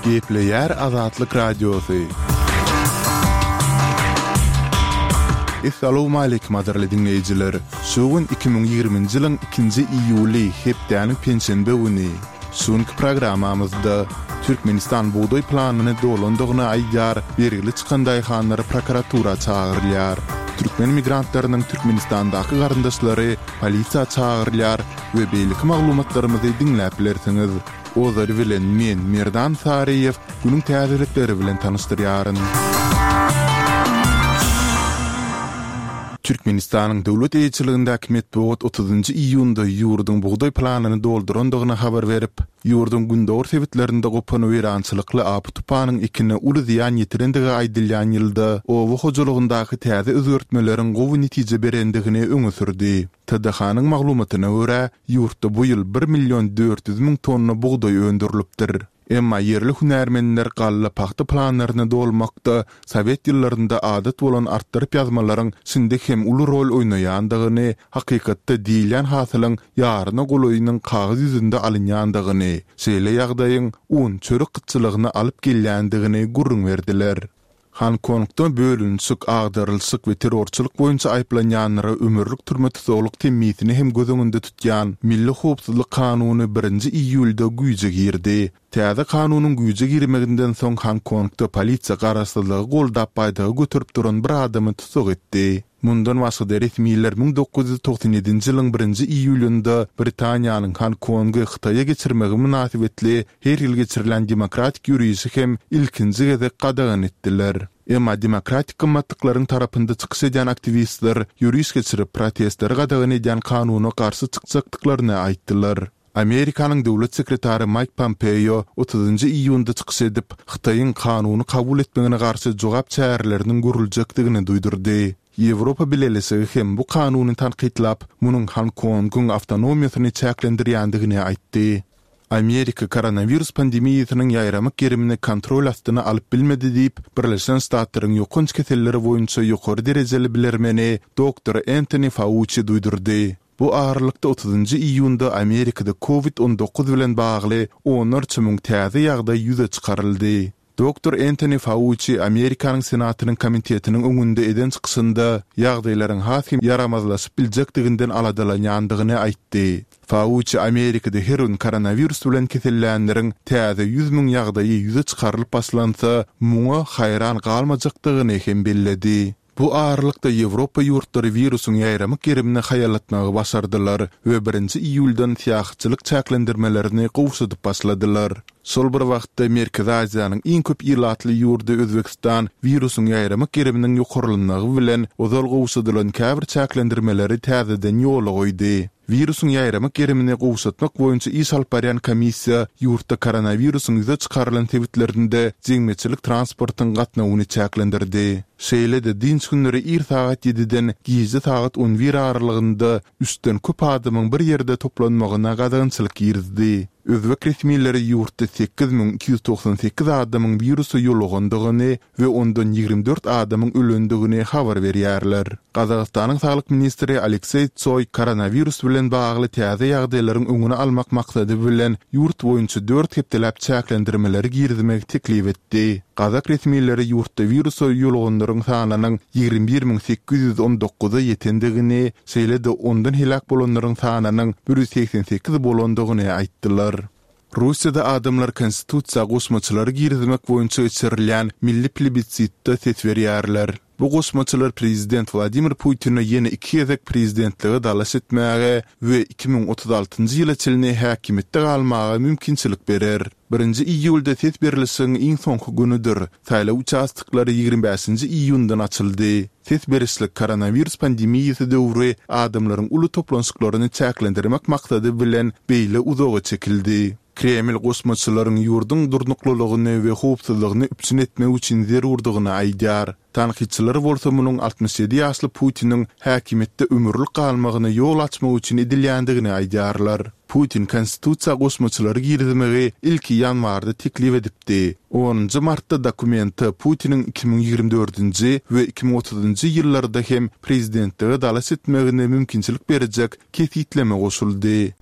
Gepleýär Azatlyk Radiosy. Essalawmaleýkim gadyrly diňleýjiler! Şu gün 2020-nji ýylyň ikinji iýuly, hepdäniň penşenbe güni. Şu günki programmamyzda Türkmenistan bugdaý planyny dolandygyny aýdýar, bergili çykan daýhanlar prokuratura çagyrylýar. Türkmen migrantlarynyň Türkmenistandaky garyndaşlary polisiýa çagyrylýar we beýleki maglumatlarymyzy diňläp bilersiňiz. Ozaly bilen men, Merdan Saryýew, günüň täzelikleri bilen tanyşdyrýaryn. Türkmenistanyň döwlet eýeçiligindäki metbugat otuzynjy iýunda ýurduň bugdaý planyny doldurandygyny habar berip, ýurduň gündogar sebitlerinde gopan weýrançylykly apy-tupanyň ekine uly zyýan ýetirendigi aýdylýan ýylda oba hojalygyndaky täze özgertmeleriň gowy netije berendigini öňe sürdi. TDH-nyň maglumatyna görä, ýurtda bu ýyl bir million 400 müň tonna bugdaý öndürilipdir. Emma ýerli hünärmenler galla pagta planlaryny dolmakda sowet ýyllarynda adat bolan artdyryp ýazmalaryň şindi hem uly rol oýnaýandygyny, hakykatda diýilýän hasylyň ýaryna golaýynyň kagyz ýüzünde alynýandygyny, şeýle ýagdaýyň un, çörek gytçylygyna alyp gelýändigini gürrüň berdiler. Honkongda bölünişik, agdarylyşyk we terrorçylyk boýunça aýyplanýanlara ömürlik türme tussaglyk temmisini hem göz öňünde tutýan Milli howpsuzlyk kanuny birinji iýulda güýje girdi. Täze kanunyň güýje girmeginden soň Honkongda polisiýa garaşsyzlygy goldap baýdagy göterip duran bir adamy tussag etdi. Mundan başga-da resmiler 1997-nji ýylyň birinji iýulynda Britaniýanyň Honkongy Hytaýa geçirmegi mynasybetli her ýyl geçirilýän demokratik ýörişi hem ilkinji gezek gadagan etdiler. Emma demokratik gymmatlyklaryň tarapynda çykyş edýän aktiwistler ýöriş geçirip, protestleri gadagan edýän kanuna garşy çykjakdyklaryny aýtdylar. Amerikanyň döwlet sekretary Maýk Pompeo otuzynjy iýunda çykyş edip, Hytaýyň kanuny kabul etmegine garşy jogap çäreleriniň görüljekdigini duýdurdy. Ýewropa Bileleşigi hem bu kanuny tankytlap, munuň Honkongyň awtonomiýasyny çäklendirýändigini aýtdy. Amerika koronawirus pandemiýasynyň ýaýramak gerimini kontrol astyna alyp bilmedi diýip, Birleşen Ştatlaryň ýokanç keselleri boýunça ýokary derejeli bilermeni doktor Entoni Fauçi duýdurdy. Bu aralykda otuzynjy iýunda Amerikada Covid 19 bilen bagly onlarça müň täze ýagdaý ýüze çykaryldy. Doktor Entoni Fauçi Amerikanyň Senatynyň komitetiniň öňünde eden çykyşynda ýagdaýlaryň has hem ýaramazlaşyp biljekdiginden aladalanýandygyny aýtdy. Fauçi Amerikada her gün koronawirus bilen kesellänleriň täze 100 müň ýagdaýy ýüze çykarylyp başlansa, muňa haýran galmajakdygyny hem belledi. Bu aralykda Ýewropa ýurtlary wirusyň ýaýramak gerimini haýallatmagy başardylar we birinji iýuldan syýahatçylyk çäklendirmelerini gowşadyp başladylar. Şol bir wagtda Merkezi Aziýanyň iň köp ilatly ýurdy Özbegistan wirusyň ýaýramak geriminiň ýokarlanmagy bilen ozal gowşadylan käbir çäklendirmeleri täzeden ýola goýdy. Wirusyň ýaýramak gerimini gowşatmak boýunça iş alyp barýan komissiýa ýurtda koronawirusyň ýüze çykarylan sebitlerinde jemgyýetçilik transportyň gatnawyny çäklendirdi. Şeýle-de dynç günleri ir sagat ýediden gije sagat on bir aralygynda üçden köp adamyň bir ýerde toplanmagyna gadagançylyk girizdi. Özbek resmileri ýurtda 8298 adamyň wirusa ýolugandygyny we ondan 24 adamyň ölendigini habar berýärler. Gazagystanyň saglyk ministri Alekseý Tsoý koronawirus bilen bagly täze ýagdaýlaryň öňüni almak maksady bilen ýurt boýunça dört hepdeläp çäklendirmeleri girizmegi teklip etdi. Gazak resmileri ýurtda wirusa ýoluganlaryň sanynyň 21 819-a ýetendigini, şeýle-de ondan heläk bolanlaryň sanynyň 188 bolandygyny aýtdylar. Russiýada adamlar Konstitusiýa goşmaçalary girizmek boýunça geçirilýän milli plebisitde ses berýärler. Bu goşmaçalar prezident Wladimir Putine ýene iki gezek prezidentlige dalaş etmäge we 2036-njy ýyla çenli häkimiýetde galmaga mümkinçilik berer. Birinji iýulda ses berlişigiň iň soňky günüdir. Saýlaw uçastoklary 25-nji iýundan açyldy. Ses berişlik koronawirus pandemiýasy döwri adamlaryň uly toplanyşyklaryny çäklendirmek maksady bilen beýle uzaga çekildi. Kreml goşmaçalaryň ýurduň durnuklylygyny we howpsuzlygyny üpjün etmek üçin zerurdygyny aýdýar. Tankytçylar bolsa munuň 67 ýaşly Putiniň häkimiýetde ömürlik galmagyna ýol açmak üçin edilýändigini aýdýarlar. Putin konstitusiýa goşmaçalary girizmegi ilki ýanwarda teklip edipdi. Onunjy martda dokumente Putiniň 2024-nji we 2030-njy ýyllarda hem prezidentlige dalaş etmegine mümkinçilik berjek kesgitleme goşuldy.